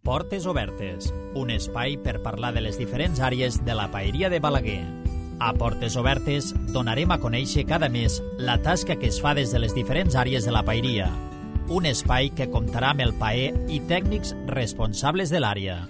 Portes Obertes, un espai per parlar de les diferents àrees de la paeria de Balaguer. A Portes Obertes donarem a conèixer cada mes la tasca que es fa des de les diferents àrees de la paeria. Un espai que comptarà amb el paer i tècnics responsables de l'àrea.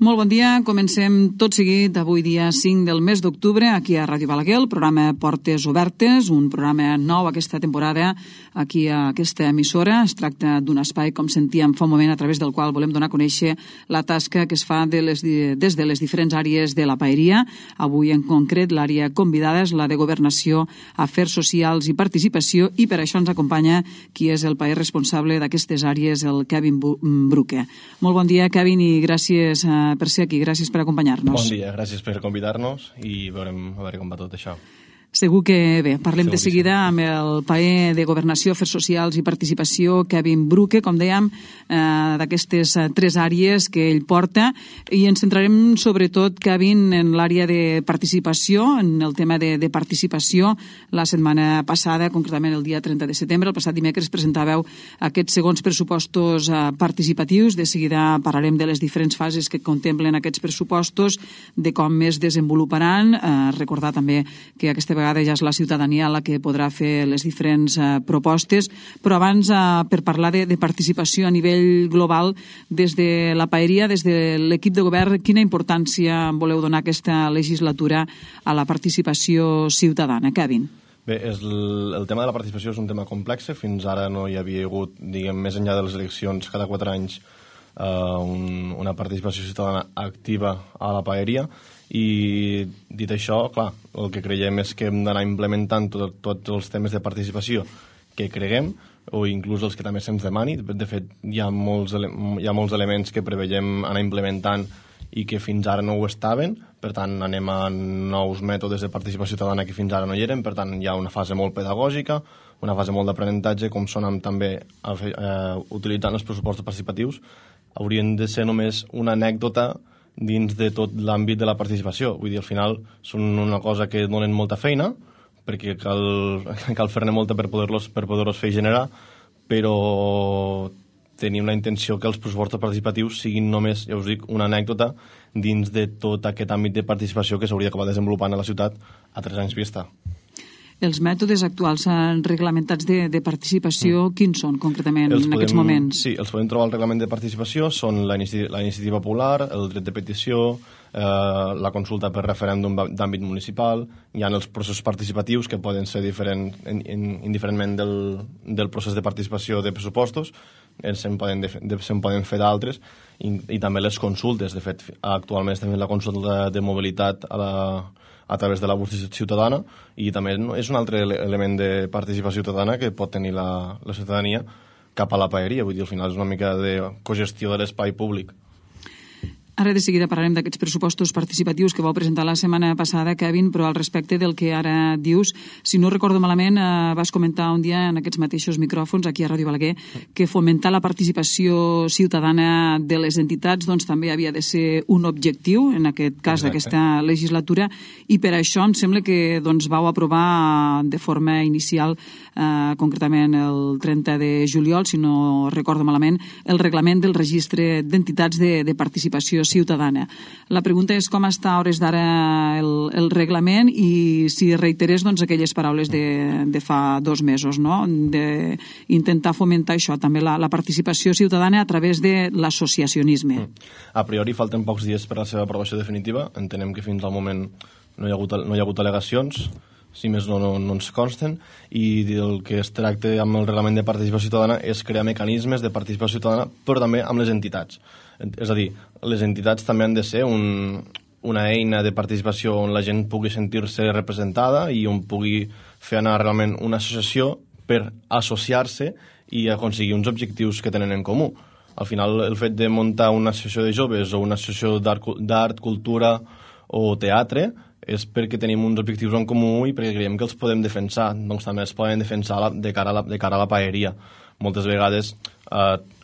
Molt bon dia, comencem tot seguit avui dia 5 del mes d'octubre aquí a Ràdio Balaguer, el programa Portes Obertes, un programa nou aquesta temporada aquí a aquesta emissora. Es tracta d'un espai, com sentíem fa un moment, a través del qual volem donar a conèixer la tasca que es fa des de les diferents àrees de la paeria. Avui en concret l'àrea convidada és la de Governació, Afers Socials i Participació, i per això ens acompanya qui és el paer responsable d'aquestes àrees, el Kevin Bruque. Molt bon dia, Kevin, i gràcies per ser aquí. Gràcies per acompanyar-nos. Bon dia, gràcies per convidar-nos i veurem a veure com va tot això. Segur que bé, parlem de seguida amb el paer de Governació, Afers Socials i Participació, Kevin Bruque, com dèiem, d'aquestes tres àrees que ell porta, i ens centrarem sobretot, Kevin, en l'àrea de participació, en el tema de participació. La setmana passada, concretament el dia 30 de setembre, el passat dimecres, presentàveu aquests segons pressupostos participatius. De seguida parlarem de les diferents fases que contemplen aquests pressupostos, de com es desenvoluparan. Recordar també que aquesta vegada ja és la ciutadania la que podrà fer les diferents propostes, però abans, per parlar de participació a nivell global, des de la paeria, des de l'equip de govern, quina importància voleu donar aquesta legislatura a la participació ciutadana? Kevin. Bé, el tema de la participació és un tema complex. Fins ara no hi havia hagut, diguem, més enllà de les eleccions cada 4 anys, una participació ciutadana activa a la paeria. I dit això, clar, el que creiem és que hem d'anar implementant tots els temes de participació que creguem, o inclús els que també se'ns demani. De fet, hi ha molts elements que preveiem anar implementant i que fins ara no ho estaven. Per tant, anem a nous mètodes de participació ciutadana que fins ara no hi eren. Per tant, hi ha una fase molt pedagògica, una fase molt d'aprenentatge, com són també utilitzant els pressupostos participatius. Haurien de ser només una anècdota dins de tot l'àmbit de la participació. Vull dir, al final són una cosa que donen molta feina, perquè cal fer-ne molta per poder-los fer generar, però tenim la intenció que els pressupostos participatius siguin només, ja us dic, una anècdota dins de tot aquest àmbit de participació que s'hauria d'acabar desenvolupant a la ciutat a 3 anys vista. Els mètodes actuals reglamentats de participació, quins són concretament en aquests moments? Sí, els podem trobar al reglament de participació, són la iniciativa popular, el dret de petició, la consulta per referèndum d'àmbit municipal. Hi ha els processos participatius que poden ser diferents indiferentment del procés de participació de pressupostos, se'n poden fer d'altres, i també les consultes. De fet, actualment estem fent la consulta de mobilitat a través de la bústia ciutadana, i també és un altre element de participació ciutadana que pot tenir la ciutadania cap a la paeria. Vull dir, al final és una mica de cogestió de l'espai públic. Ara de seguida parlarem d'aquests pressupostos participatius que vau presentar la setmana passada, Kevin, però al respecte del que ara dius, si no recordo malament, vas comentar un dia en aquests mateixos micròfons aquí a Ràdio Balaguer que fomentar la participació ciutadana de les entitats doncs també havia de ser un objectiu, en aquest cas d'aquesta legislatura, i per això em sembla que doncs vau aprovar de forma inicial, concretament el 30 de juliol, si no recordo malament, el reglament del registre d'entitats de participació ciutadana. La pregunta és com està a hores d'ara el reglament i si reiterés doncs, aquelles paraules de fa 2 mesos, no? D'intentar fomentar això, també la participació ciutadana a través de l'associacionisme. A priori falten pocs dies per a la seva aprovació definitiva. Entenem que fins al moment no hi ha hagut al·legacions, si més no ens consten, i el que es tracta amb el reglament de participació ciutadana és crear mecanismes de participació ciutadana, però també amb les entitats. És a dir, les entitats també han de ser una eina de participació on la gent pugui sentir-se representada i on pugui fer anar realment una associació per associar-se i aconseguir uns objectius que tenen en comú. Al final, el fet de muntar una associació de joves o una associació d'art, cultura o teatre és perquè tenim uns objectius en comú i perquè creiem que els podem defensar. Doncs també els podem defensar de cara a la paeria. Moltes vegades,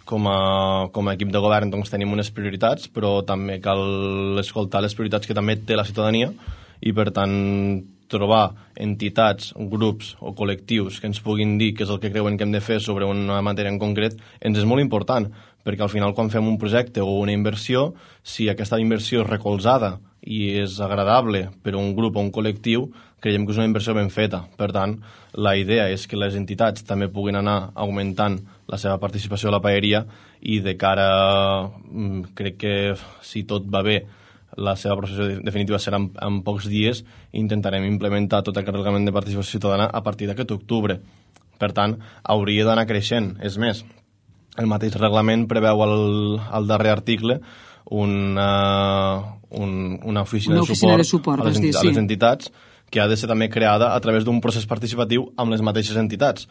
com a equip de govern, doncs tenim unes prioritats, però també cal escoltar les prioritats que també té la ciutadania, i per tant trobar entitats, grups o col·lectius que ens puguin dir què és el que creuen que hem de fer sobre una matèria en concret, ens és molt important, perquè al final quan fem un projecte o una inversió, si aquesta inversió és recolzada i és agradable per a un grup o un col·lectiu, creiem que és una inversió ben feta. Per tant, la idea és que les entitats també puguin anar augmentant la seva participació a la paeria i de cara, crec que si tot va bé, la seva processió definitiva serà en pocs dies i intentarem implementar tot aquest reglament de participació ciutadana a partir d'aquest octubre. Per tant, hauria d'anar creixent. És més, el mateix reglament preveu al darrer article una oficina de suport a les entitats que ha de ser també creada a través d'un procés participatiu amb les mateixes entitats.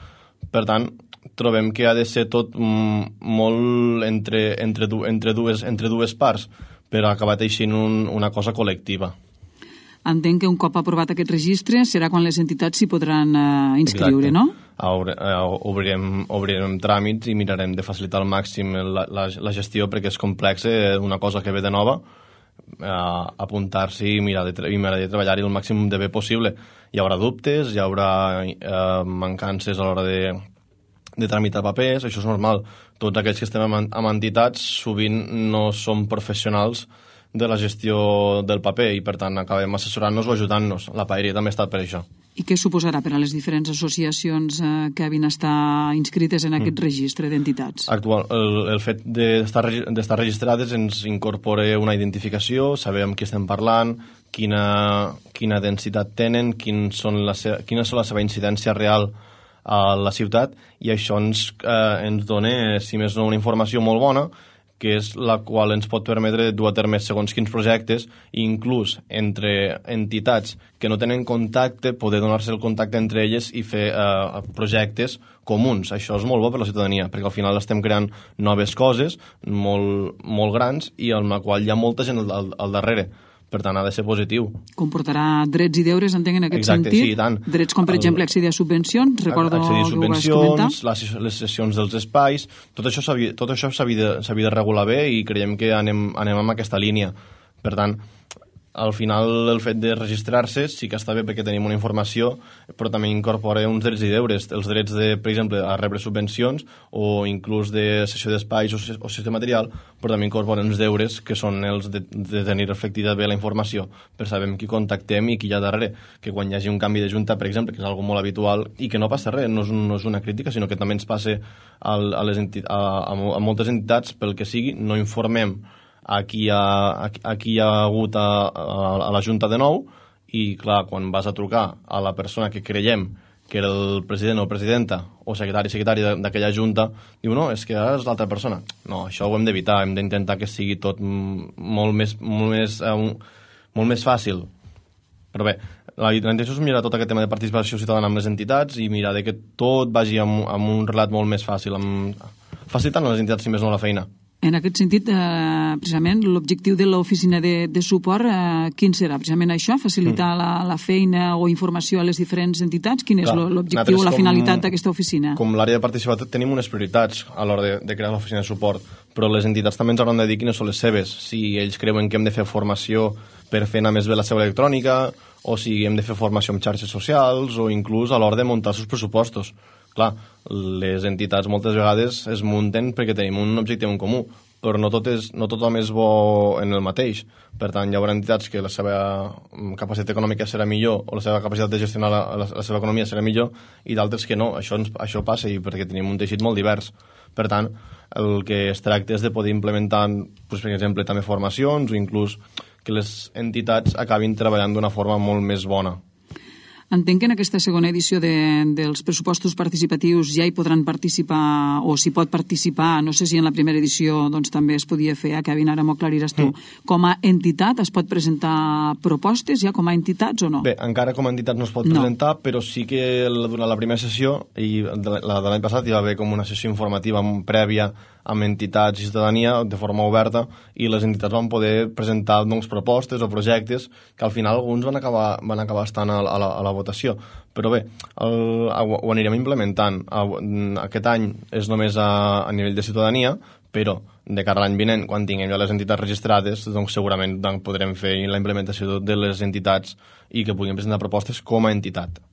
Per tant, trobem que ha de ser tot molt entre dues parts per acabar teixint una cosa col·lectiva. Entenc que un cop aprovat aquest registre serà quan les entitats s'hi podran inscriure, no? Obrirem tràmits i mirarem de facilitar al màxim la gestió perquè és complex, una cosa que ve de nova, apuntar-s'hi i mirar de treballar-hi el màxim de bé possible. Hi haurà dubtes, hi haurà mancances a l'hora de tramitar papers, això és normal. Tots aquells que estem amb entitats sovint no som professionals de la gestió del paper i per tant acabem assessorant-nos o ajudant-nos. La paeria també ha estat per això. I què suposarà per a les diferents associacions que havien estar inscrites en aquest registre d'entitats? El fet d'estar registrades ens incorpora una identificació, sabem amb qui estem parlant, quina densitat tenen, quina és la seva incidència real a la ciutat, i això ens dona, si més no, una informació molt bona, que és la qual ens pot permetre dur a terme segons quins projectes, i inclús entre entitats que no tenen contacte, poder donar-se el contacte entre elles i fer projectes comuns. Això és molt bo per la ciutadania, perquè al final estem creant noves coses molt, molt grans i en la qual hi ha molta gent al darrere. Per tant, ha de ser positiu. Comportarà drets i deures, entenc, en aquest sentit? Sí, i tant. Drets com, per exemple, accedir a subvencions, recordo que ho vas comentar. Les sessions dels espais, tot això s'havia de regular bé i creiem que anem en aquesta línia. Per tant, al final el fet de registrar-se sí que està bé perquè tenim una informació, però també incorpora uns drets i deures. Els drets, per exemple, a rebre subvencions o inclús de cessió d'espais o cessió de material, però també incorpora uns deures que són els de tenir reflectida bé la informació, per saber amb qui contactem i qui hi ha darrere. Que quan hi hagi un canvi de junta, per exemple, que és algo molt habitual i que no passa res, no és una crítica, sinó que també ens passa a moltes entitats, pel que sigui, no informem a qui hi ha hagut a la Junta de nou, i clar, quan vas a trucar a la persona que creiem que era el president o presidenta o secretari d'aquella Junta, diu no, és que ara és l'altra persona. No, això ho hem d'evitar, hem d'intentar que sigui tot molt més fàcil. Però bé, la intenció és mirar tot aquest tema de participació ciutadana amb les entitats i mirar que tot vagi amb un relat molt més fàcil, facilitant a les entitats, si més no, la feina. En aquest sentit, precisament, l'objectiu de l'oficina de suport, quin serà? Precisament això, facilitar la feina o informació a les diferents entitats? Quin és l'objectiu o la finalitat d'aquesta oficina? Com l'àrea de participació tenim unes prioritats a l'hora de crear l'oficina de suport, però les entitats també ens hauran de dir quines són les seves. Si ells creuen que hem de fer formació per fer anar més bé la seu electrònica, o si hem de fer formació en xarxes socials, o inclús a l'hora de muntar els pressupostos. Clar, les entitats moltes vegades es munten perquè tenim un objectiu en comú, però no tothom és bo en el mateix. Per tant, hi haurà entitats que la seva capacitat econòmica serà millor o la seva capacitat de gestionar la seva economia serà millor i d'altres que no. Això passa i perquè tenim un teixit molt divers. Per tant, el que es tracta és de poder implementar, per exemple, també formacions o inclús que les entitats acabin treballant d'una forma molt més bona. Entenc que en aquesta segona edició dels pressupostos participatius ja hi podran participar o s'hi pot participar, no sé si en la primera edició doncs, també es podia fer, Kevin, ara m'ho aclariràs tu. Com a entitat es pot presentar propostes ja com a entitats o no? Bé, encara com a entitat no es pot presentar, però sí que durant la primera sessió, i la de l'any passat hi va haver com una sessió informativa prèvia amb entitats i ciutadania de forma oberta, i les entitats van poder presentar doncs, propostes o projectes que al final alguns van acabar estant a la votació. Però bé, ho anirem implementant. Aquest any és només a nivell de ciutadania, però de cara a l'any vinent, quan tinguem ja les entitats registrades, doncs segurament podrem fer la implementació de les entitats i que puguin presentar propostes com a entitat.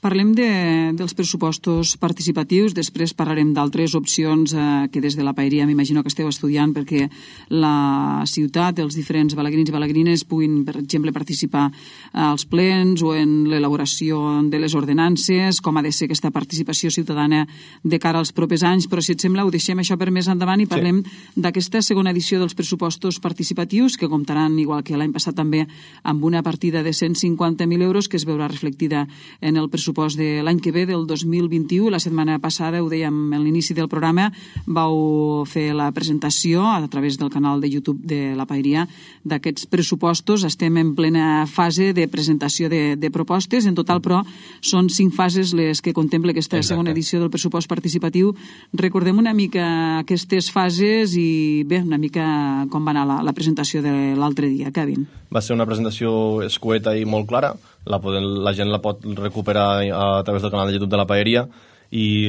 Parlem dels pressupostos participatius, després parlarem d'altres opcions que des de la Paeria m'imagino que esteu estudiant perquè la ciutat, els diferents balaguerins i balaguerines puguin, per exemple, participar als plens o en l'elaboració de les ordenances, com ha de ser aquesta participació ciutadana de cara als propers anys, però si et sembla ho deixem això per més endavant i parlem d'aquesta segona edició dels pressupostos participatius que comptaran, igual que l'any passat també, amb una partida de 150.000 euros que es veurà reflectida en el pressupost de l'any que ve, del 2021. La setmana passada, ho dèiem a l'inici del programa, vau fer la presentació a través del canal de YouTube de la Paeria d'aquests pressupostos. Estem en plena fase de presentació de propostes. En total, però, són 5 fases les que contempla aquesta segona edició del pressupost participatiu. Recordem una mica aquestes fases i, bé, una mica com va anar la presentació de l'altre dia, Kevin. Va ser una presentació escueta i molt clara. La gent la pot recuperar a través del canal de YouTube de la Paeria i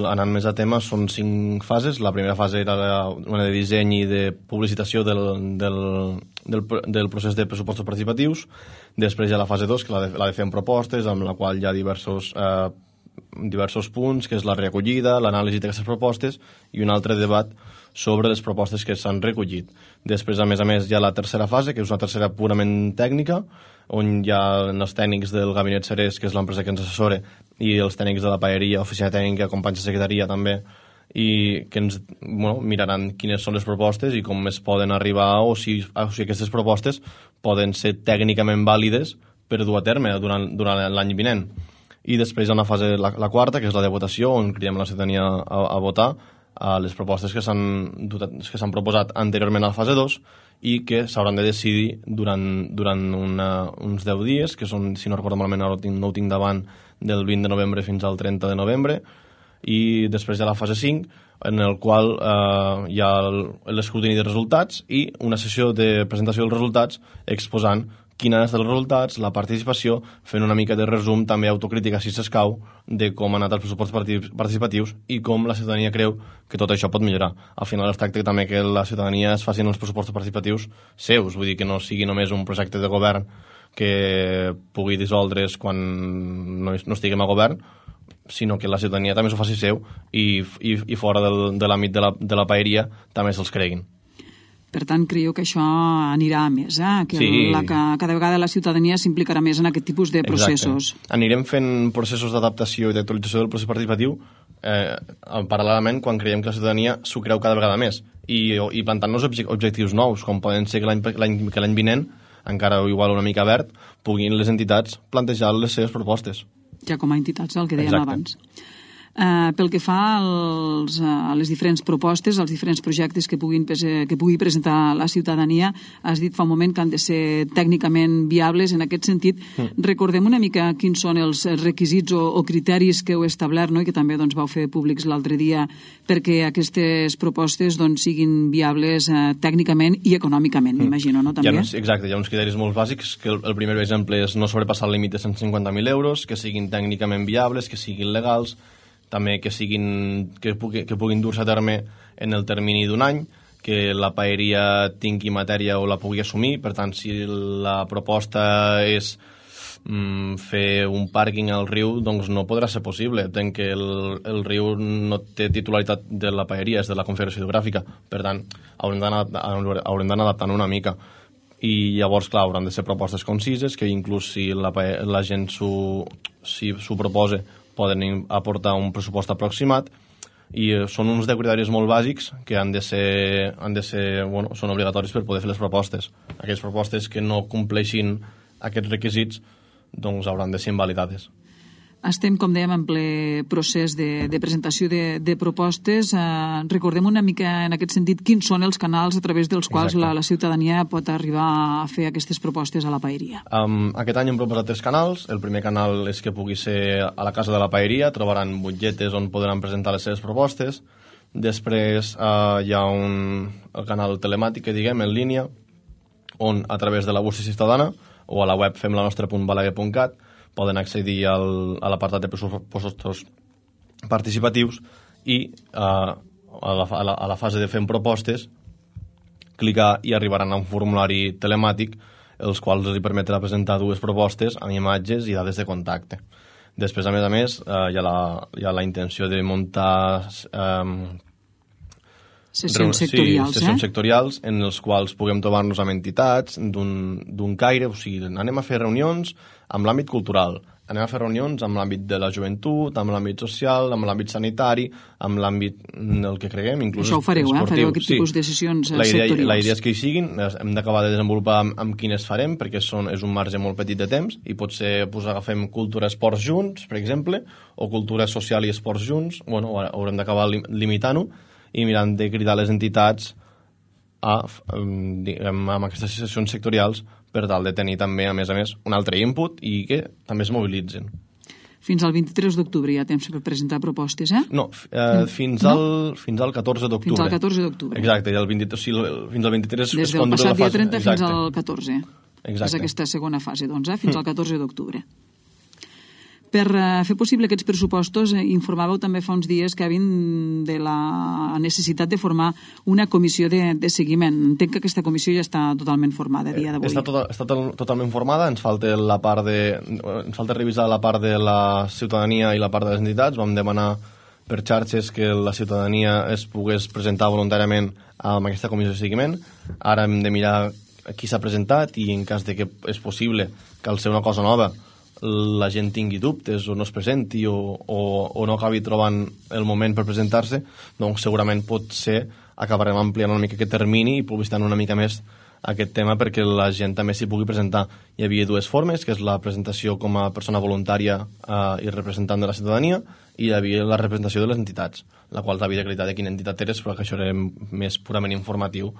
anant més a tema són 5 fases. La primera fase era una de disseny i de publicitació del procés de pressupostos participatius. Després hi ha la fase 2, que la de fer propostes, amb la qual hi ha diversos punts, que és la recollida, l'anàlisi d'aquestes propostes i un altre debat sobre les propostes que s'han recollit. Després, a més, hi ha la tercera fase, que és una tercera purament tècnica, on hi ha els tècnics del Gabinet Cerés, que és l'empresa que ens assessora, i els tècnics de la Paeria, oficina tècnica, companys de secretaria també, i que ens miraran quines són les propostes i com es poden arribar o si aquestes propostes poden ser tècnicament vàlides per dur a terme durant l'any vinent. I després hi ha una fase, la quarta, que és la de votació, on cridem la ciutadania a votar a les propostes que s'han proposat anteriorment a la fase 2 i que s'hauran de decidir durant uns 10 dies, que són, si no recordo malament, ara no ho tinc davant, del 20 de novembre fins al 30 de novembre, i després hi ha la fase 5, en el qual hi ha l'escrutini de resultats i una sessió de presentació dels resultats exposant quins han estat els resultats, la participació, fent una mica de resum, també autocrítica si s'escau, de com han anat els pressupostos participatius i com la ciutadania creu que tot això pot millorar. Al final es tracta també que la ciutadania es facin els pressupostos participatius seus, vull dir que no sigui només un projecte de govern que pugui dissoldre's quan no estiguem a govern, sinó que la ciutadania també s'ho faci seu i fora de l'àmbit de la Paeria també se'ls creguin. Per tant, creieu que això anirà a més, que cada vegada la ciutadania s'implicarà més en aquest tipus de processos. Exacte. Anirem fent processos d'adaptació i d'actualització del procés participatiu paral·lelament quan creiem que la ciutadania s'ho creu cada vegada més i plantant-nos objectius nous, com poden ser que l'any vinent, encara igual una mica verd, puguin les entitats plantejar les seves propostes. Ja com a entitats, el que dèiem abans. Pel que fa a les diferents propostes, als diferents projectes que pugui presentar la ciutadania, has dit fa un moment que han de ser tècnicament viables. En aquest sentit, recordem una mica quins són els requisits o criteris que heu establert, no? I que també vau fer públics l'altre dia perquè aquestes propostes siguin viables tècnicament i econòmicament, m'imagino, no? També? Exacte, hi ha uns criteris molt bàsics, que el primer exemple és no sobrepassar el límit de 150.000 euros, que siguin tècnicament viables, que siguin legals, també que puguin dur-se a terme en el termini d'un any, que la Paeria tingui matèria o la pugui assumir. Per tant, si la proposta és fer un pàrquing al riu, doncs no podrà ser possible. Entenc que el riu no té titularitat de la Paeria, és de la Confederació Hidrogràfica. Per tant, haurem d'anar adaptant una mica. I llavors, clar, hauran de ser propostes concises, que inclús si la gent s'ho proposa, poden aportar un pressupost aproximat, i són uns 10 criteris molt bàsics que són obligatoris per poder fer les propostes. Aquelles propostes que no compleixin aquests requisits doncs hauran de ser invalidades. Estem, com dèiem, en ple procés de presentació de propostes. Recordem una mica, en aquest sentit, quins són els canals a través dels quals la ciutadania pot arribar a fer aquestes propostes a la Paeria. Aquest any hem proposat 3 canals. El primer canal és que pugui ser a la casa de la Paeria. Trobaran butlletes on podran presentar les seves propostes. Després hi ha el canal telemàtic, que diguem, en línia, on a través de la bústia ciutadana o a la web femlanostra.balaguer.cat poden accedir a l'apartat de pressupostos participatius i a la fase de fem propostes, clicar i arribaran a un formulari telemàtic els quals els permetrà presentar 2 propostes amb imatges i dades de contacte. Després, a més, hi ha la intenció de muntar sessions sectorials, sessions sectorials en els quals puguem trobar-nos amb entitats d'un caire, o sigui, anem a fer reunions amb l'àmbit cultural, anem a fer reunions amb l'àmbit de la joventut, amb l'àmbit social, amb l'àmbit sanitari, amb l'àmbit del que creguem, inclús això ho fareu, esportiu. Fareu aquest tipus de sessions sectorials. La idea és que hi siguin, hem d'acabar de desenvolupar amb quines farem, perquè és un marge molt petit de temps, i potser agafem cultura i esports junts, per exemple, o cultura social i esports junts. Bueno, haurem d'acabar limitant-ho i mirant de cridar les entitats amb aquestes sessions sectorials per tal de tenir també, a més, un altre input i que també es mobilitzen. Fins al 23 d'octubre hi ha temps per presentar propostes, eh? No, fins al 14 d'octubre. Fins al 14 d'octubre. Exacte, fins al 23... Des del passat dia 30 fins al 14. Exacte. És aquesta segona fase, doncs, fins al 14 d'octubre. Per fer possible aquests pressupostos, informàveu també fa uns dies, Kevin, de la necessitat de formar una comissió de seguiment. Entenc que aquesta comissió ja està totalment formada a dia d'avui. Està totalment formada, ens falta revisar la part de la ciutadania i la part de les entitats. Vam demanar per xarxes que la ciutadania es pogués presentar voluntàriament amb aquesta comissió de seguiment. Ara hem de mirar qui s'ha presentat i en cas de que és possible que al ser una cosa nova la gent tingui dubtes o no es presenti o no acabi trobant el moment per presentar-se, doncs segurament potser acabarem ampliant una mica aquest termini i publicitant una mica més aquest tema perquè la gent també s'hi pugui presentar. Hi havia 2 formes, que és la presentació com a persona voluntària i representant de la ciutadania, i hi havia la representació de les entitats, la qual havia d'acreditar de quina entitat eres, però que això era més purament informatiu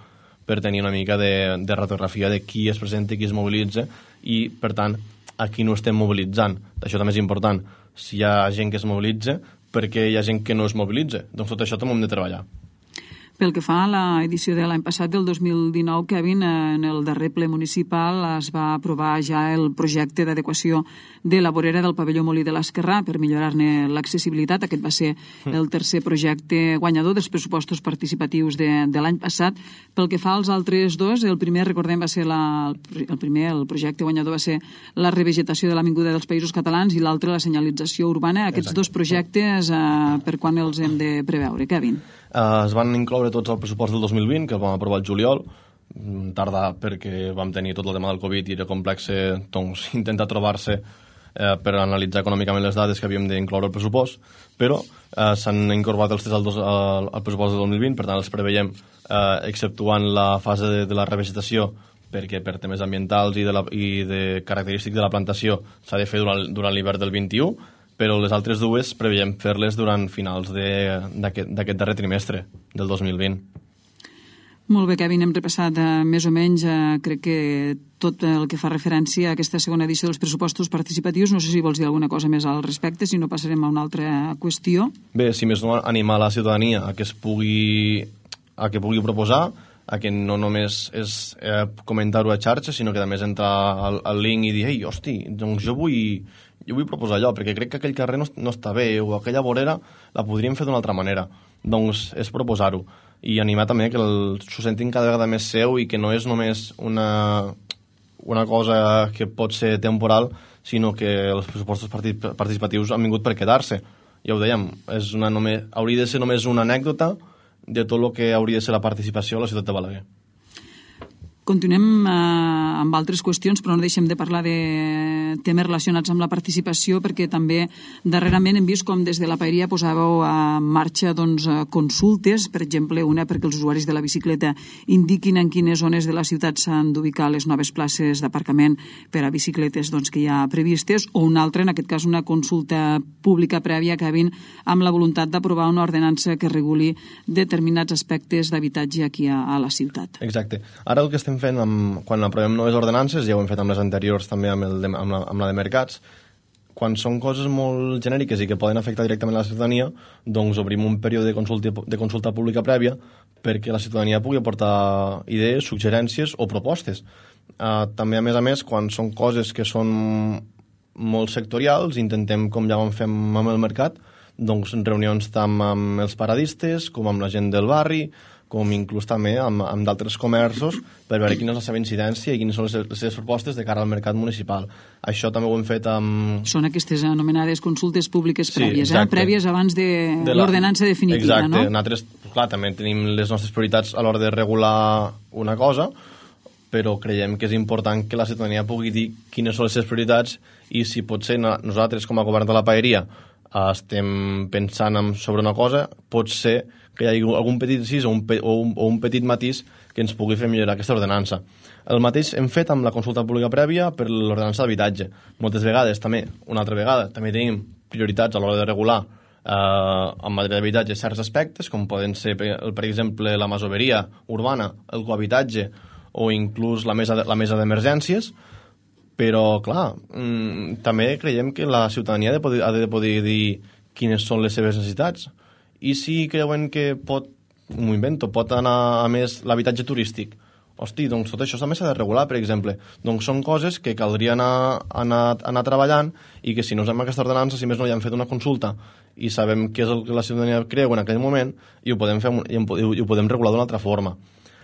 per tenir una mica de radiografia de qui es presenta i qui es mobilitza i, per tant, a qui no estem mobilitzant. Això també és important. Si hi ha gent que es mobilitza, per què hi ha gent que no es mobilitza? Doncs tot això també ho hem de treballar. Pel que fa a l'edició de l'any passat, del 2019, Kevin, en el darrer ple municipal es va aprovar ja el projecte d'adequació de la vorera del pavelló Molí de l'Esquerrà per millorar-ne l'accessibilitat. Aquest va ser el tercer projecte guanyador dels pressupostos participatius de l'any passat. Pel que fa als altres 2, el primer, recordem, va ser el projecte guanyador va ser la revegetació de l'Avinguda dels Països Catalans i l'altre la senyalització urbana. Aquests 2 projectes, per quan els hem de preveure, Kevin? Es van incloure tots al pressupost del 2020, que el vam aprovar el juliol, tardar perquè vam tenir tot el tema del Covid i era complex doncs, intentar trobar-se per analitzar econòmicament les dades que havíem d'incloure al pressupost, però s'han incorporat els 3 al pressupost del 2020, per tant els preveiem exceptuant la fase de la revegetació, perquè per temes ambientals i de característics de la plantació s'ha de fer durant l'hivern del 21, però les altres 2 preveiem fer-les durant finals d'aquest darrer trimestre del 2020. Molt bé, Kevin, hem repassat més o menys, crec que tot el que fa referència a aquesta segona edició dels pressupostos participatius. No sé si vols dir alguna cosa més al respecte, si no passarem a una altra qüestió. Bé, si més no, animar la ciutadania a que pugui proposar, a que no només és comentar-ho a xarxa, sinó que també és entrar al link i dir «Ei, hosti, doncs jo vull proposar allò, perquè crec que aquell carrer no està bé, o aquella vorera la podríem fer d'una altra manera». Doncs és proposar-ho. I animar també que s'ho sentin cada vegada més seu i que no és només una cosa que pot ser temporal, sinó que els pressupostos participatius han vingut per quedar-se. Ja ho dèiem, hauria de ser només una anècdota de tot el que hauria de ser la participació a la ciutat de Balaguer. Continuem amb altres qüestions, però no deixem de parlar de temes relacionats amb la participació, perquè també darrerament hem vist com des de la Paeria posàveu en marxa consultes, per exemple, una perquè els usuaris de la bicicleta indiquin en quines zones de la ciutat s'han d'ubicar les noves places d'aparcament per a bicicletes que hi ha previstes, o una altra, en aquest cas una consulta pública prèvia, Kevin, amb la voluntat d'aprovar una ordenança que reguli determinats aspectes d'habitatge aquí a la ciutat. Exacte. Ara el que estem fent quan aprovem noves ordenances, ja ho hem fet amb les anteriors també amb la de mercats, quan són coses molt genèriques i que poden afectar directament la ciutadania, doncs obrim un període de consulta pública prèvia perquè la ciutadania pugui aportar idees, suggerències o propostes. També, a més, quan són coses que són molt sectorials, intentem, com ja vam fer amb el mercat, doncs, reunions tant amb els paradistes com amb la gent del barri, com inclús també amb d'altres comerços, per veure quina és la seva incidència i quines són les seves propostes de cara al mercat municipal. Això també ho hem fet amb... Són aquestes anomenades consultes públiques prèvies, prèvies abans de l'ordenança definitiva, exacte. No? Nosaltres, clar, també tenim les nostres prioritats a l'hora de regular una cosa, però creiem que és important que la ciutadania pugui dir quines són les seves prioritats i si potser nosaltres, com a govern de la Paeria, estem pensant sobre una cosa, pot ser que hi hagi algun petit incís o un petit matís que ens pugui fer millorar aquesta ordenança. El mateix hem fet amb la consulta pública prèvia per l'ordenança d'habitatge. Moltes vegades, també, una altra vegada, també tenim prioritats a l'hora de regular en matèria d'habitatge certs aspectes, com poden ser, per exemple, la masoveria urbana, el cohabitatge o inclús la mesa d'emergències, però, clar, també creiem que la ciutadania ha de poder dir quines són les seves necessitats. I si creuen que pot anar a més l'habitatge turístic, hosti, doncs tot això també s'ha de regular, per exemple. Doncs són coses que caldria anar treballant i que si no fem aquesta ordenança, si més no ja hem fet una consulta i sabem què és el que la ciutadania creu en aquell moment i ho podem regular d'una altra forma.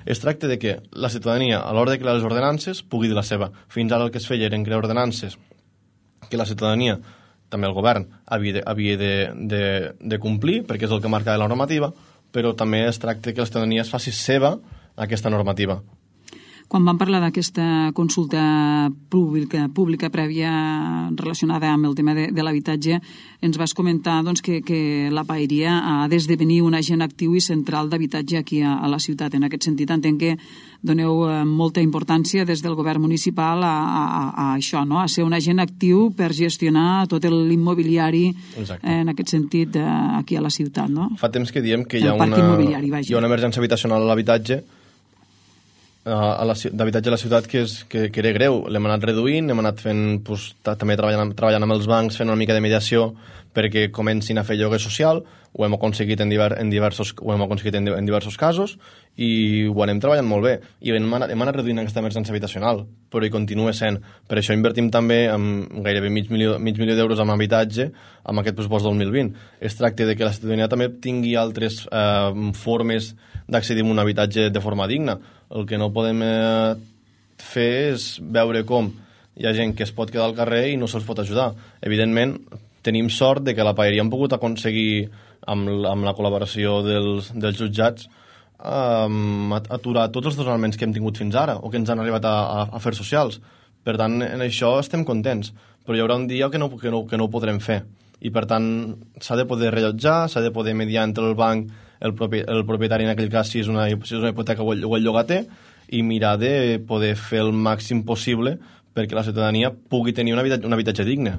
Es tracta de que la ciutadania, a l'hora de crear les ordenances, pugui dir la seva. Fins ara el que es feia eren crear ordenances que la ciutadania, també el govern, havia de complir, perquè és el que marca la normativa, però també es tracta que la ciutadania es faci seva aquesta normativa. Quan vam parlar d'aquesta consulta pública prèvia relacionada amb el tema de l'habitatge, ens vas comentar doncs, que la Paeria ha d'esdevenir un agent actiu i central d'habitatge aquí a la ciutat. En aquest sentit, entenc que doneu molta importància des del govern municipal a això, no? A ser un agent actiu per gestionar tot l'immobiliari, en aquest sentit, aquí a la ciutat. No? Fa temps que diem que hi ha una emergència habitacional a l'habitatge d'habitatge a la ciutat que era greu. L'hem anat reduint, hem anat fent també treballant amb els bancs, fent una mica de mediació perquè comencin a fer lloguer social. Ho hem aconseguit en diversos casos i ho anem treballant molt bé i hem anat reduint aquesta emergència habitacional, però hi continua sent. Per això invertim també gairebé mig milió d'euros en habitatge amb aquest pressupost del 2020. Es tracta de que la ciutadania també tingui altres formes d'accedir a un habitatge de forma digna. El que no podem fer és veure com hi ha gent que es pot quedar al carrer i no se'ls pot ajudar. Evidentment, tenim sort de que la Paeria hem pogut aconseguir, amb la col·laboració dels jutjats, aturar tots els desnonaments que hem tingut fins ara o que ens han arribat a afers socials. Per tant, en això estem contents, però hi haurà un dia que no ho podrem fer. I, per tant, s'ha de poder rellotjar, s'ha de poder mediar entre el banc, el propietari, en aquell cas, si és una hipoteca o el llogater, i mirar de poder fer el màxim possible perquè la ciutadania pugui tenir un habitatge digne.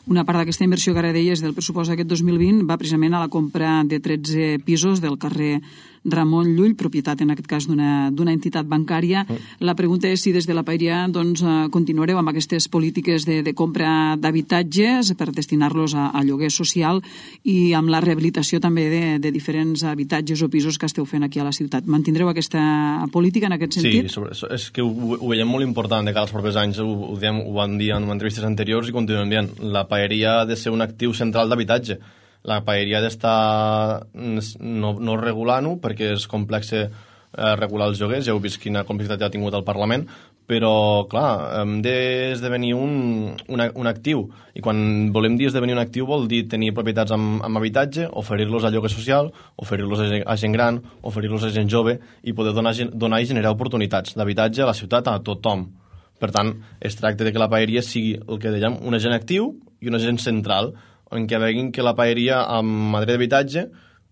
Una part d'aquesta inversió que ara deies del pressupost d'aquest 2020 va precisament a la compra de 13 pisos del carrer Ramon Llull, propietat en aquest cas d'una entitat bancària. La pregunta és si des de la Paeria continuareu amb aquestes polítiques de compra d'habitatges per destinar-los a lloguer social i amb la rehabilitació també de diferents habitatges o pisos que esteu fent aquí a la ciutat. Mantindreu aquesta política en aquest sentit? Sí, és que ho veiem molt important de cara als propers anys. Ho vam dir en entrevistes anteriors i continuem dient. La Paeria ha de ser un actiu central d'habitatge. La Paeria ha d'estar no regulant-ho perquè és complex regular els lloguers, ja heu vist quina complexitat ha tingut el Parlament, però, clar, hem d'esdevenir un actiu. I quan volem dir esdevenir un actiu vol dir tenir propietats amb habitatge, oferir-los a lloguer social, oferir-los a gent gran, oferir-los a gent jove i poder donar i generar oportunitats d'habitatge a la ciutat a tothom. Per tant, es tracta de que la Paeria sigui el que dèiem, un agent actiu i un agent central, en què veguin que la Paeria en matèria d'habitatge,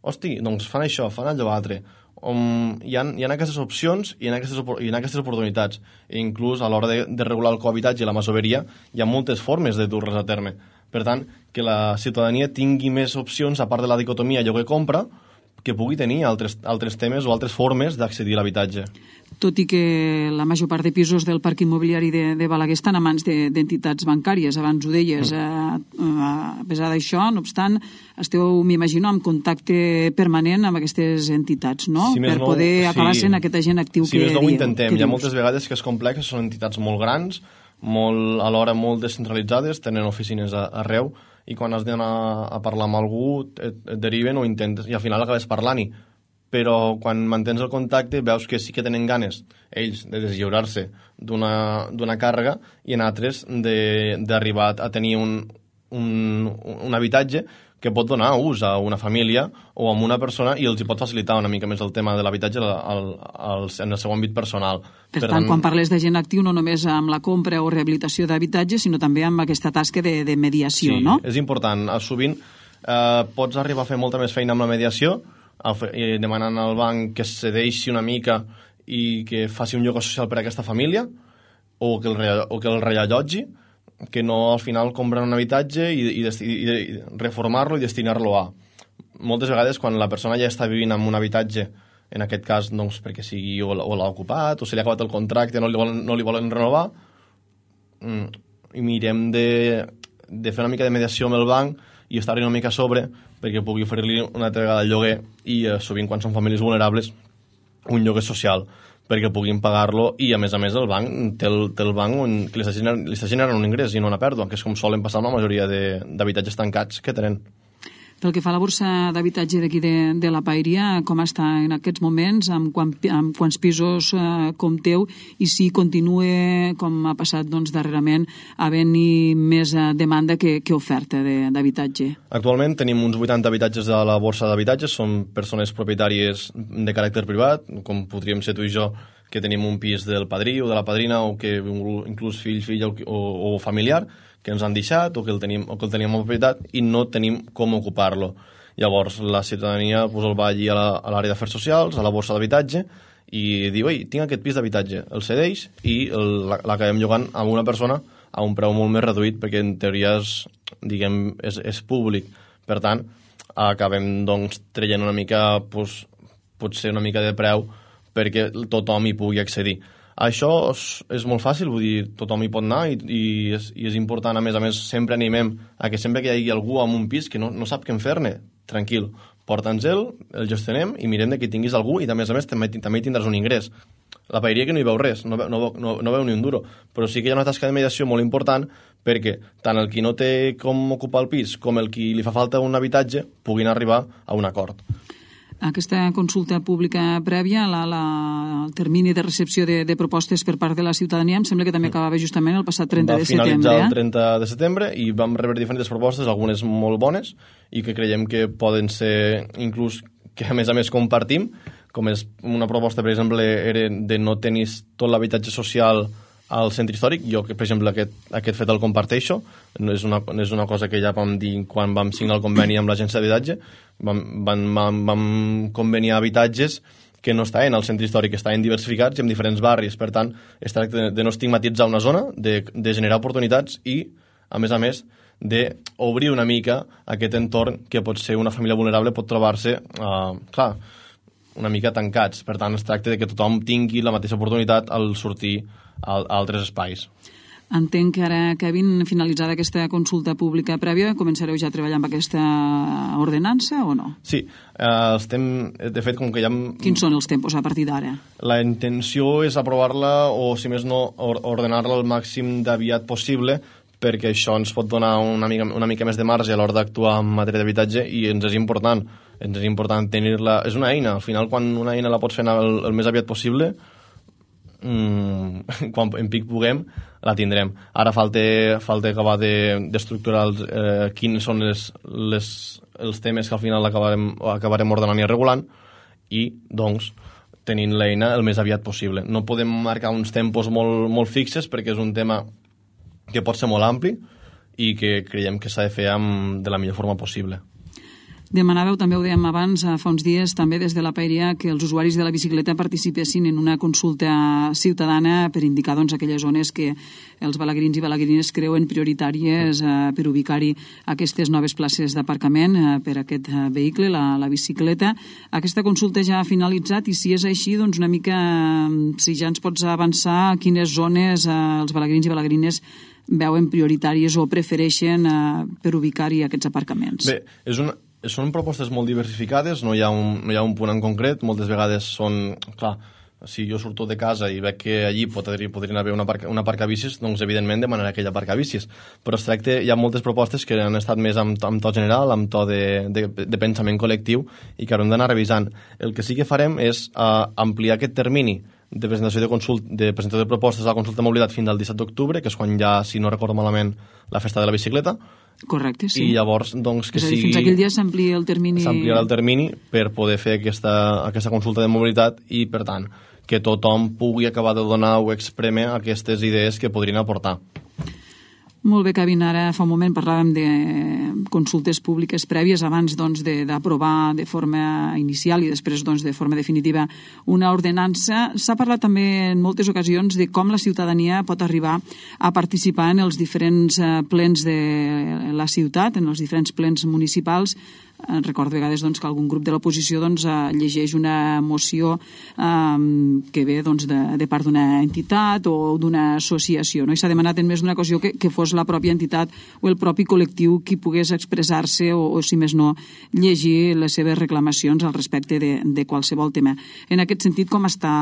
hosti, doncs fan això, fan allò altre. Hi ha aquestes opcions i hi ha aquestes oportunitats. I inclús a l'hora de regular el cohabitatge i la masoveria hi ha moltes formes de dur-les a terme. Per tant, que la ciutadania tingui més opcions, a part de la dicotomia lloguer-compra, que pugui tenir altres temes o altres formes d'accedir a l'habitatge. Tot i que la major part de pisos del parc immobiliari de Balaguer estan a mans d'entitats bancàries, abans ho deies. A pesar d'això, no obstant, esteu, m'imagino, en contacte permanent amb aquestes entitats, no? Per poder acabar sent aquest agent actiu que dieu. Si més no ho intentem. Hi ha moltes vegades que és complex, són entitats molt grans, alhora molt descentralitzades, tenen oficines arreu, i quan has d'anar a parlar amb algú et deriven o intentes, i al final acabes parlant-hi. Però quan mantens el contacte veus que sí que tenen ganes ells de deslliurar-se d'una càrrega i en altres d'arribar a tenir un habitatge que pot donar ús a una família o a una persona i els hi pot facilitar una mica més el tema de l'habitatge en el seu àmbit personal. Per tant, quan parles de gent actiu, no només amb la compra o rehabilitació d'habitatge, sinó també amb aquesta tasca de mediació, sí, no? Sí, és important. Sovint pots arribar a fer molta més feina amb la mediació, demanant al banc que cedeixi una mica i que faci un lloguer social per a aquesta família o que el reallotgi, que no al final comprar un habitatge i reformar-lo i destinar-lo a. Moltes vegades quan la persona ja està vivint en un habitatge, en aquest cas doncs, perquè sigui o l'ha ocupat o se li ha acabat el contracte, no li volen renovar, i mirem de fer una mica de mediació amb el banc i estar-hi una mica a sobre perquè pugui oferir-li una altra vegada el lloguer i sovint quan són famílies vulnerables un lloguer social perquè puguin pagar-lo i a més el banc té el banc que li està generant un ingrés i no una pèrdua, que és com solen passar amb la majoria d'habitatges tancats que tenen. Pel que fa a la borsa d'habitatge d'aquí de la Paeria, com està en aquests moments, amb quants pisos compteu i si continua, com ha passat darrerament, havent-hi més demanda que oferta d'habitatge? Actualment tenim uns 80 habitatges a la borsa d'habitatges, són persones propietàries de caràcter privat, com podríem ser tu i jo, que tenim un pis del padrí o de la padrina o que inclús fill o familiar, que ens han deixat o que el teníem en propietat i no tenim com ocupar-lo. Llavors la ciutadania el va allí a l'àrea d'afers socials, a la borsa d'habitatge, i diu, ei, tinc aquest pis d'habitatge, el cedeix i l'acabem llogant a una persona a un preu molt més reduït perquè en teoria és públic. Per tant, acabem traient una mica, potser una mica de preu perquè tothom hi pugui accedir. Això és molt fàcil, vull dir, tothom hi pot anar i és important, a més, sempre animem a que sempre que hi hagi algú amb un pis que no sap què en fer-ne, tranquil, porta'ns el gestionem i mirem que tinguis algú i a més també hi tindràs un ingrés. La Paeria que no hi veu res, no veu ni un duro, però sí que hi ha una tasca de mediació molt important perquè tant el qui no té com ocupar el pis com el qui li fa falta un habitatge puguin arribar a un acord. Aquesta consulta pública prèvia, el termini de recepció de propostes per part de la ciutadania, em sembla que també acabava justament el passat 30 de setembre. Va finalitzar el 30 de setembre i vam rebre diferents propostes, algunes molt bones i que creiem que poden ser inclús que a més compartim, com és una proposta, per exemple, era de no tenir tot l'habitatge social al centre històric. Jo, per exemple, aquest fet el comparteixo. És una cosa que ja vam dir quan vam signar el conveni amb l'agència d'habitatge. Vam conveniar habitatges que no estaven al centre històric, que estaven diversificats i en diferents barris. Per tant, es tracta de no estigmatitzar una zona, de generar oportunitats i, a més, d'obrir una mica aquest entorn que pot ser una família vulnerable, pot trobar-se, una mica tancats. Per tant, es tracta de que tothom tingui la mateixa oportunitat al sortir a altres espais. Entenc que ara, Kevin, finalitzada aquesta consulta pública prèvia, començareu ja a treballar amb aquesta ordenança o no? Sí, de fet, com que ja... Quins són els tempos a partir d'ara? La intenció és aprovar-la o, si més no, ordenar-la el màxim d'aviat possible, perquè això ens pot donar una mica més de marge a l'hora d'actuar en matèria d'habitatge i ens és important tenir-la. És una eina, al final quan una eina la pots fer el més aviat possible, quan en pic puguem la tindrem. Ara falta acabar d'estructurar quins són els temes que al final acabarem ordenant i regulant i doncs tenint l'eina el més aviat possible. No podem marcar uns tempos molt fixes perquè és un tema que pot ser molt ampli i que creiem que s'ha de fer de la millor forma possible. Demanàveu, també ho dèiem abans, fa uns dies, també des de la Paeria, que els usuaris de la bicicleta participessin en una consulta ciutadana per indicar aquelles zones que els balaguerins i balaguerines creuen prioritàries per ubicar-hi aquestes noves places d'aparcament per a aquest vehicle, la bicicleta. Aquesta consulta ja ha finalitzat i si és així, doncs una mica, si ja ens pots avançar quines zones els balaguerins i balaguerines veuen prioritàries o prefereixen per ubicar-hi aquests aparcaments. Bé, són propostes molt diversificades, no hi ha un punt en concret, moltes vegades són, clar, si jo surto de casa i veig que allí podrien haver una aparcabicis, doncs evidentment demanaré aquella aparcabicis. Però es tracta, hi ha moltes propostes que han estat més amb to general, amb to de pensament col·lectiu, i que haurem d'anar revisant. El que sí que farem és ampliar aquest termini de presentació de propostes a la consulta de mobilitat fins al 17 d'octubre, que és quan ja, si no recordo malament, la festa de la bicicleta. Correcte, sí. I llavors, doncs, que sigui... Fins aquell dia s'amplia el termini... S'ampliarà el termini per poder fer aquesta consulta de mobilitat i, per tant, que tothom pugui acabar de donar o exprémer aquestes idees que podrien aportar. Molt bé, Kevin. Ara fa un moment parlàvem de consultes públiques prèvies abans d'aprovar de forma inicial i després de forma definitiva una ordenança. S'ha parlat també en moltes ocasions de com la ciutadania pot arribar a participar en els diferents plens de la ciutat, en els diferents plens municipals. Recordo a vegades que algun grup de l'oposició llegeix una moció que ve de part d'una entitat o d'una associació, no? I s'ha demanat en més d'una ocasió que fos la pròpia entitat o el propi col·lectiu qui pogués expressar-se o si més no, llegir les seves reclamacions al respecte de qualsevol tema. En aquest sentit, com està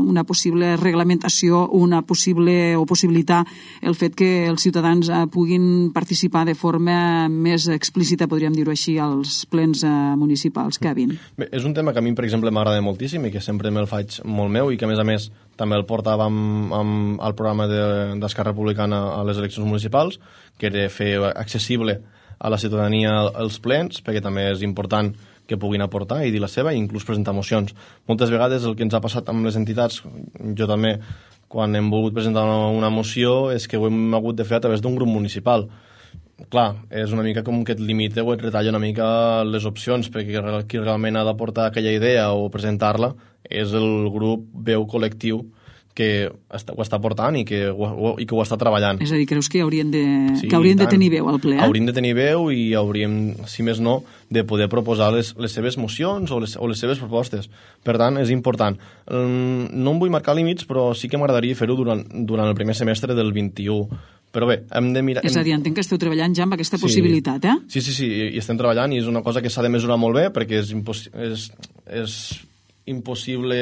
una possible reglamentació, una possible o possibilitar el fet que els ciutadans puguin participar de forma més explícita, podríem dir-ho així, als plens municipals, Kevin? Bé, és un tema que a mi, per exemple, m'agrada moltíssim i que sempre me'l faig molt meu i que, a més, també el portàvem al programa d'Esquerra Republicana a les eleccions municipals, que era fer accessible a la ciutadania els plens, perquè també és important que puguin aportar i dir la seva i inclús presentar mocions. Moltes vegades el que ens ha passat amb les entitats, jo també, quan hem volgut presentar una moció, és que ho hem hagut de fer a través d'un grup municipal. Clar, és una mica com que et limita o et retalla una mica les opcions, perquè qui realment ha d'aportar aquella idea o presentar-la és el grup veu col·lectiu que ho està portant i que ho està treballant. És a dir, creus que haurien de tenir veu al ple? Haurien de tenir veu i hauríem, si més no, de poder proposar les seves mocions o les seves propostes. Per tant, és important. No em vull marcar límits, però sí que m'agradaria fer-ho durant el primer semestre del 21. Però bé, hem de mirar... És a dir, entenc que esteu treballant ja amb aquesta possibilitat, eh? Sí, i estem treballant i és una cosa que s'ha de mesurar molt bé perquè és impossible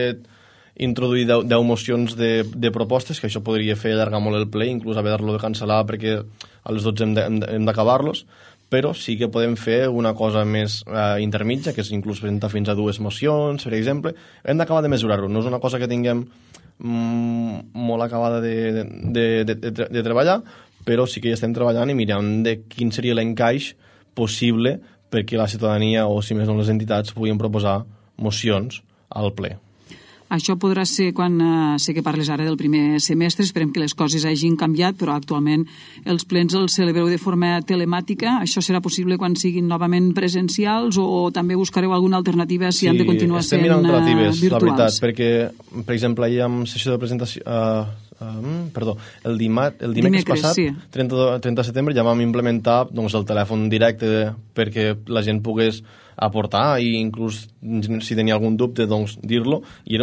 introduir 10 mocions de propostes, que això podria fer allargar molt el ple, inclús haver-lo de cancel·lar perquè a les 12 hem d'acabar-los, però sí que podem fer una cosa més intermitja, que és inclús presentar fins a 2 mocions, per exemple. Hem d'acabar de mesurar-ho, no és una cosa que tinguem molt acabada de treballar, però sí que hi estem treballant i mirant de quin seria l'encaix possible perquè la ciutadania o, si més no, les entitats puguin proposar mocions al ple. Això podrà ser quan sé que parles ara del primer semestre, esperem que les coses hagin canviat, però actualment els plens els celebreu de forma telemàtica. Això serà possible quan siguin novament presencials o també buscareu alguna alternativa si han de continuar sent virtuals? Sí, estem mirant alternatives, la veritat, perquè, per exemple, ahir amb sessió de presentació... el dimecres passat, sí. 30 de setembre, ja vam implementar el telèfon directe perquè la gent pogués aportar i inclús si tenia algun dubte dir-lo i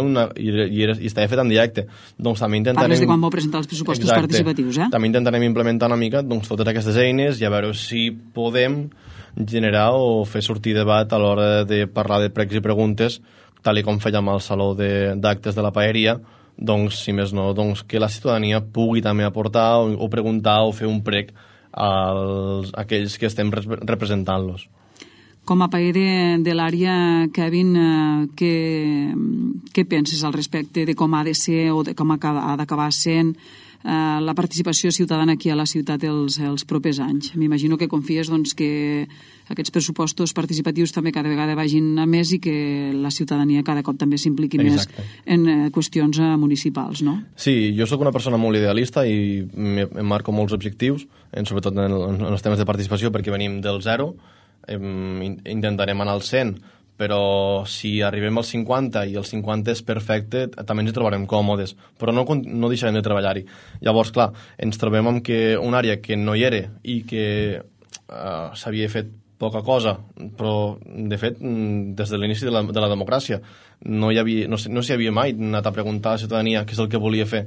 estava fet en directe. També intentarem... Parles de quan vau presentar els pressupostos participatius, eh? També intentarem implementar una mica totes aquestes eines i a veure si podem generar o fer sortir debat a l'hora de parlar de pregs i preguntes, tal com fèiem al saló d'actes de la paeria, si més no, que la ciutadania pugui també aportar o preguntar o fer un prec a aquells que estem representant-los. Com a paer de l'àrea, Kevin, què penses al respecte de com ha de ser o de com ha d'acabar sent la participació ciutadana aquí a la ciutat els propers anys? M'imagino que confies que aquests pressupostos participatius també cada vegada vagin a més i que la ciutadania cada cop també s'impliqui més en qüestions municipals, no? Sí, jo sóc una persona molt idealista i em marco molts objectius, sobretot en els temes de participació, perquè venim del 0, intentarem anar al 100, però si arribem al 50 i el 50 és perfecte, també ens hi trobarem còmodes, però no deixarem de treballar-hi. Llavors, clar, ens trobem amb que una àrea que no hi era i que s'havia fet poca cosa, però, de fet, des de l'inici de la democràcia no s'hi havia mai anat a preguntar a la ciutadania què és el que volia fer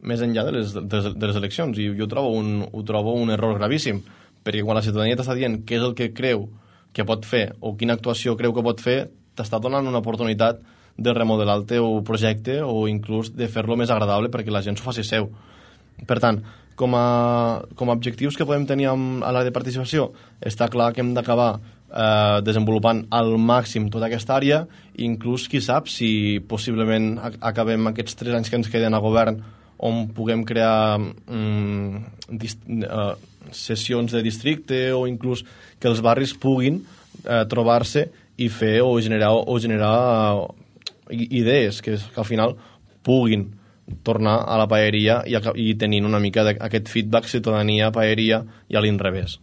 més enllà de les eleccions, i jo ho trobo un error gravíssim, perquè quan la ciutadania t'està dient què és el que creu que pot fer o quina actuació creu que pot fer, t'està donant una oportunitat de remodelar el teu projecte o inclús de fer-lo més agradable perquè la gent s'ho faci seu. Per tant, com a objectius que podem tenir a l'àrea de participació, està clar que hem d'acabar desenvolupant al màxim tota aquesta àrea, inclús qui sap si possiblement acabem aquests 3 anys que ens queden a govern on puguem crear sessions de districte o inclús que els barris puguin trobar-se i fer o generar idees que al final puguin tornar a la paeria i tenint una mica aquest feedback ciutadania-paeria i a l'inrevés.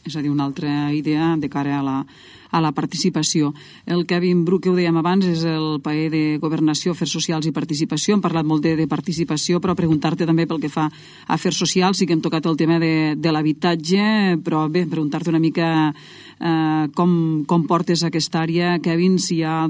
És a dir, una altra idea de cara a la participació. El Kevin Bru, que ho dèiem abans, és el paer de Governació, Afers Socials i Participació. Hem parlat molt de participació, però preguntar-te també pel que fa a Afers Socials. Sí que hem tocat el tema de l'habitatge, però bé, preguntar-te una mica com portes aquesta àrea, Kevin, si hi ha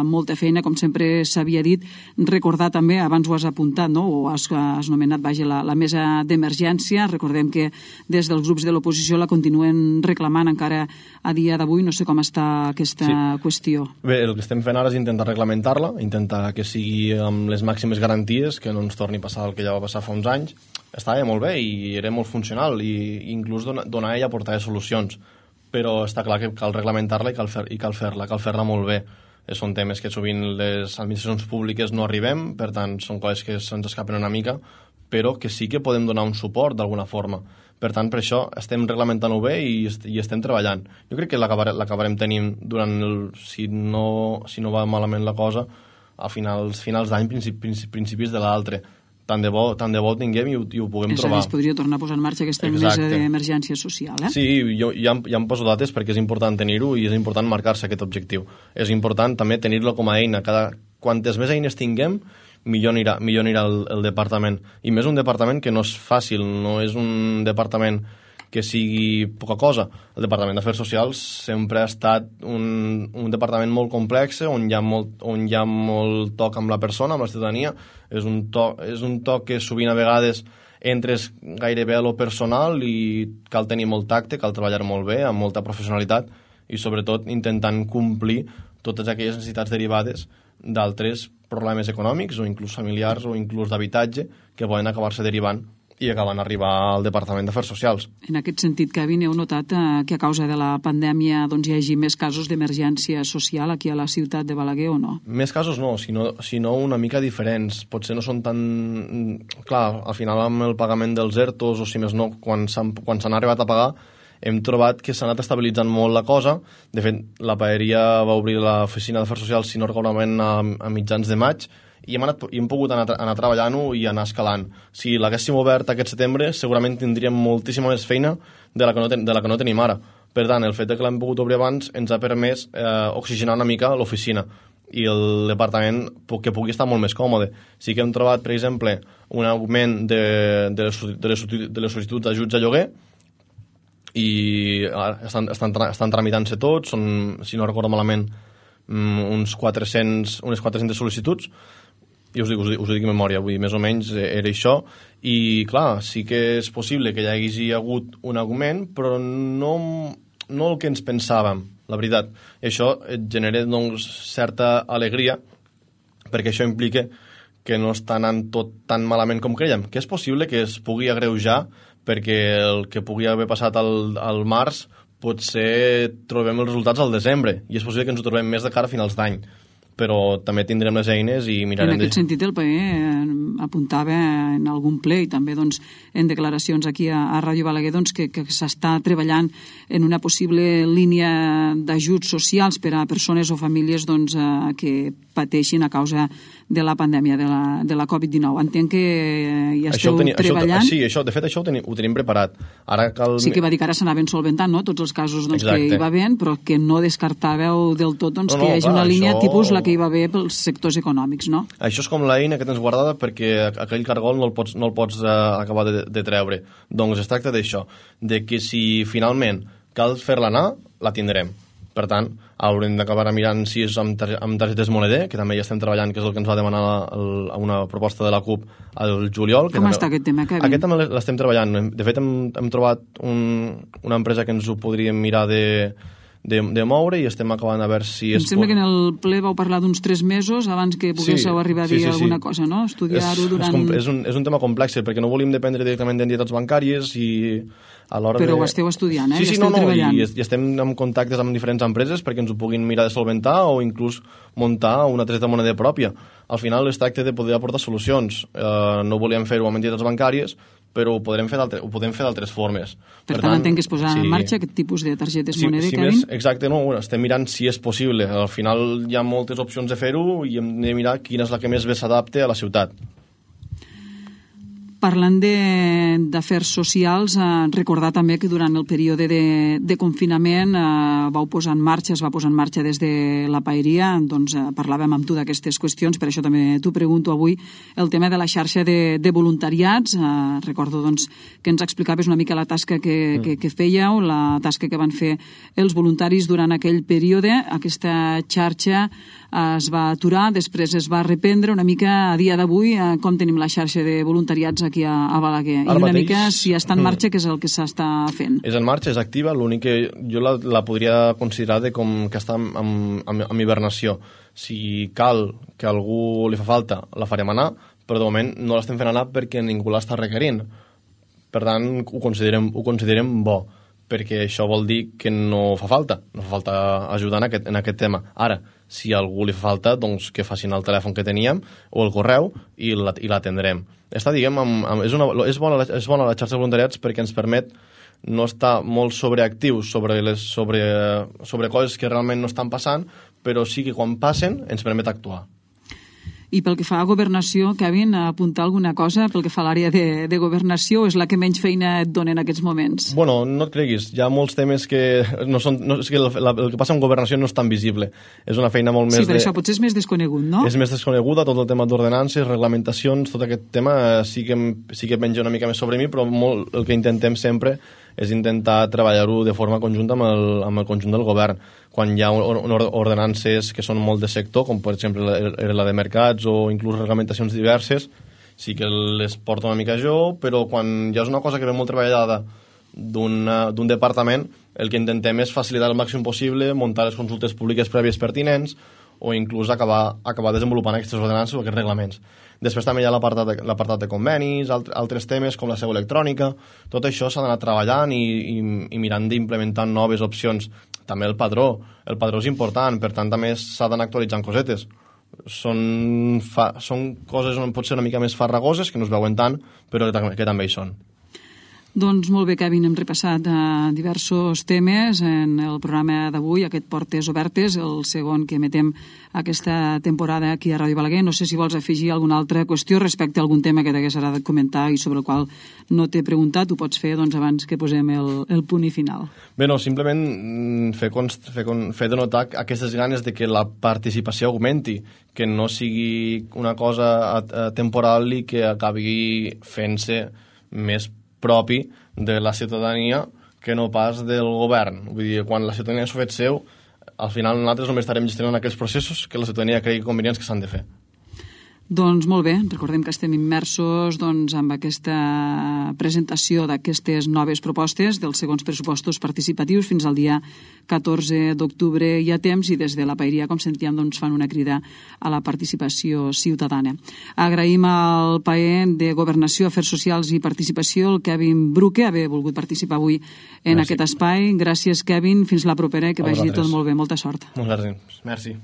molta feina, com sempre s'havia dit. Recordar també, abans ho has apuntat, no? O has nomenat, la mesa d'emergència. Recordem que des dels grups de l'oposició la continuen reclamant encara a dia d'avui. No sé com està aquesta qüestió. Bé, el que estem fent ara és intentar reglamentar-la, intentar que sigui amb les màximes garanties, que no ens torni a passar el que ja va passar fa uns anys. Estava molt bé i era molt funcional i inclús donar ella portava solucions. Però està clar que cal reglamentar-la i cal fer-la molt bé. Són temes que sovint les administracions públiques no arribem, per tant, són coses que se'ns escapen una mica, però que sí que podem donar un suport d'alguna forma. Per tant, per això estem reglamentant-ho bé i estem treballant. Jo crec que l'acabarem tenint si no va malament la cosa, a finals d'any, principis de l'altre. Tant de bo ho tinguem i ho puguem trobar. És a dir, es podria tornar a posar en marxa aquesta mesa d'emergència social, Sí, ja em poso dates perquè és important tenir-ho i és important marcar-se aquest objectiu. És important també tenir-lo com a eina. Quantes més eines tinguem, millor anirà el departament. I més un departament que no és fàcil, no és un departament que sigui poca cosa. El Departament d'Afers Socials sempre ha estat un departament molt complex, on hi ha molt toc amb la persona, amb la ciutadania. És un toc que sovint a vegades entres gairebé a lo personal i cal tenir molt tacte, cal treballar molt bé, amb molta professionalitat i sobretot intentant complir totes aquelles necessitats derivades d'altres problemes econòmics o inclús familiars o inclús d'habitatge que poden acabar-se derivant i acaben arribar al Departament d'Afers Socials. En aquest sentit, Kevin, heu notat que a causa de la pandèmia hi hagi més casos d'emergència social aquí a la ciutat de Balaguer o no? Més casos no, sinó una mica diferents. Potser no són tan... Clar, al final amb el pagament dels ERTOs o si més no, quan s'han arribat a pagar, hem trobat que s'ha anat estabilitzant molt la cosa. De fet, la paeria va obrir l'oficina d'Afers Socials, si no recordo malament, a mitjans de maig, i hem pogut anar treballant-ho i anar escalant. Si l'haguéssim obert aquest setembre, segurament tindríem moltíssima més feina de la que no tenim ara. Per tant, el fet que l'hem pogut obrir abans ens ha permès oxigenar una mica l'oficina i el departament que pugui estar molt més còmode. Sí que hem trobat, per exemple, un augment de les sol·licituds d'ajuts a lloguer i estan tramitant-se tots, són, si no recordo malament, unes 400 sol·licituds, i us ho dic en memòria, vull dir, més o menys era això, i clar, sí que és possible que hi hagi hagut un augment, però no el que ens pensàvem, la veritat. I això et genera doncs, certa alegria, perquè això implica que no està anant tot tan malament com creiem, que és possible que es pugui agreujar, perquè el que pugui haver passat al març potser trobem els resultats al desembre, i és possible que ens ho trobem més de cara a finals d'any. Però també tindrem les eines i mirarem... En aquest sentit, el PE apuntava en algun ple i també en declaracions aquí a Ràdio Balaguer que s'està treballant en una possible línia d'ajuts socials per a persones o famílies que pateixin a causa de la pandèmia, de la Covid-19. Entenc que hi esteu treballant. Sí, de fet això ho tenim preparat. Sí que va dir que ara s'anaven solventant, no?, tots els casos que hi va havent, però que no descartàveu del tot que hi hagi una línia tipus la que hi va haver pels sectors econòmics, no? Això és com l'eina que tens guardada perquè aquell cargol no el pots acabar de treure. Doncs es tracta d'això, de que si finalment cal fer-la anar, la tindrem. Per tant, haurem d'acabar mirant si és amb targetes Moneder, que també hi estem treballant, que és el que ens va demanar una proposta de la CUP al juliol. Com està aquest tema, Kevin? Aquest també l'estem treballant. De fet, hem trobat una empresa que ens ho podríem mirar de de moure i estem acabant a veure si... Em sembla que en el ple vau parlar d'uns 3 mesos abans que poguéssiu arribar a dir alguna cosa, no? Estudiar-ho durant... És un tema complex, perquè no volíem dependre directament d'entitats bancàries i a l'hora Però ho esteu estudiant, Sí, esteu treballant. I estem en contactes amb diferents empreses perquè ens ho puguin mirar de solventar o inclús muntar una targeta de moneda pròpia. Al final es tracta de poder aportar solucions. No volíem fer-ho amb entitats bancàries, però ho podem fer d'altres formes. Per tant, entenc que es posarà en marxa aquest tipus de targetes moneda, Kevin? Exacte, no, estem mirant si és possible. Al final hi ha moltes opcions de fer-ho i hem de mirar quina és la que més bé s'adapta a la ciutat. Parlant d'afers socials, recordar també que durant el període de confinament es va posar en marxa des de la Paeria, doncs parlàvem amb tu d'aquestes qüestions, per això també t'ho pregunto avui, el tema de la xarxa de voluntariats. Recordo doncs, que ens explicaves una mica la tasca que fèieu, la tasca que van fer els voluntaris durant aquell període. Aquesta xarxa es va aturar, després es va reprendre una mica a dia d'avui. Com tenim la xarxa de voluntariats aquí a Balaguer? I una mica si està en marxa, què és el que s'està fent? És en marxa, és activa, l'únic que jo la podria considerar com que està en hibernació. Si cal que algú li fa falta, la farem anar, però de moment no l'estem fent anar perquè ningú l'està requerint. Per tant, ho considerem bo, perquè això vol dir que no fa falta ajudar en aquest tema. Ara, si a algú li fa falta, doncs que facin el telèfon que teníem o el correu i l'atendrem. És bona la xarxa de voluntariats perquè ens permet no estar molt sobreactius sobre coses que realment no estan passant, però sí que quan passen ens permet actuar. I pel que fa a governació, Kevin, apuntar alguna cosa pel que fa a l'àrea de governació, és la que menys feina et dona en aquests moments? Bueno, no et creguis, hi ha molts temes que és que el que passa amb governació no és tan visible. És una feina molt més... Sí, per això potser és més desconegut, no? És més desconeguda, tot el tema d'ordenances, reglamentacions, tot aquest tema sí que menja una mica més sobre mi, però el que intentem sempre és intentar treballar-ho de forma conjunta amb el conjunt del govern. Quan hi ha ordenances que són molt de sector, com per exemple la de mercats o inclús reglamentacions diverses, sí que les porto una mica jo, però quan ja és una cosa que ve molt treballada d'un departament, el que intentem és facilitar el màxim possible, muntar les consultes públiques prèvies pertinents o inclús acabar desenvolupant aquestes ordenances o aquests reglaments. Després també hi ha l'apartat de convenis, altres temes com la seu electrònica. Tot això s'ha d'anar treballant i mirant d'implementar noves opcions. També el padró és important, per tant també s'ha d'anar actualitzant cosetes. Són coses on pot ser una mica més farragoses, que no es veuen tant, però que també hi són. Doncs molt bé, Kevin, hem repassat diversos temes en el programa d'avui, aquest Portes Obertes, el segon que emetem aquesta temporada aquí a Ràdio Balaguer. No sé si vols afegir alguna altra qüestió respecte a algun tema que t'hagués agradat comentar i sobre el qual no t'he preguntat, ho pots fer abans que posem el punt i final. Bé, no, simplement fer de notar aquestes ganes de que la participació augmenti, que no sigui una cosa temporal i que acabi fent-se més propi de la ciutadania que no pas del govern. Vull dir, quan la ciutadania s'ho fet seu, al final nosaltres només estarem gestionant aquells processos que la ciutadania cregui convenients que s'han de fer. Doncs molt bé, recordem que estem immersos amb aquesta presentació d'aquestes noves propostes dels segons pressupostos participatius fins al dia 14 d'octubre hi ha temps i des de la Paeria, com sentíem, fan una crida a la participació ciutadana. Agraïm al PAE de Governació, Afers Socials i Participació, el Kevin Bruque, haver volgut participar avui en aquest espai. Gràcies, Kevin. Fins la propera, que vagi tot molt bé. Molta sort. Moltes gràcies. Merci.